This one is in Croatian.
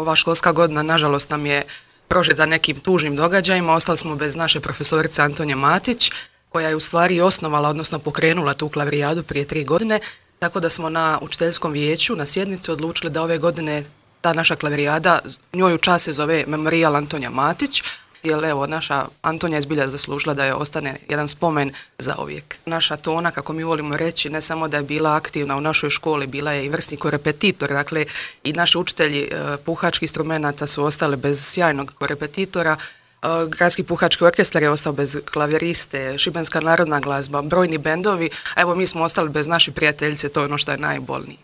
ova školska godina nažalost nam je prožeta nekim tužnim događajima. Ostali smo bez naše profesorice Antonije Matić, koja je u stvari osnovala, odnosno pokrenula tu klavrijadu prije 3 godine, tako da smo na učiteljskom vijeću, na sjednici odlučili da ove godine ta naša klavirijada, njoj u čast se zove Memorijal Antonija Matić, jer evo, naša Antonija je zbilja zaslužila da je ostane jedan spomen za uvijek. Naša Tona, kako mi volimo reći, ne samo da je bila aktivna u našoj školi, bila je i vrsni korepetitor, dakle i naši učitelji puhačkih instrumenata su ostali bez sjajnog korepetitora, Gradski puhački orkestar je ostao bez klaviriste, Šibenska narodna glazba, brojni bendovi, a evo mi smo ostali bez naše prijateljice, to je ono što je najbolnije.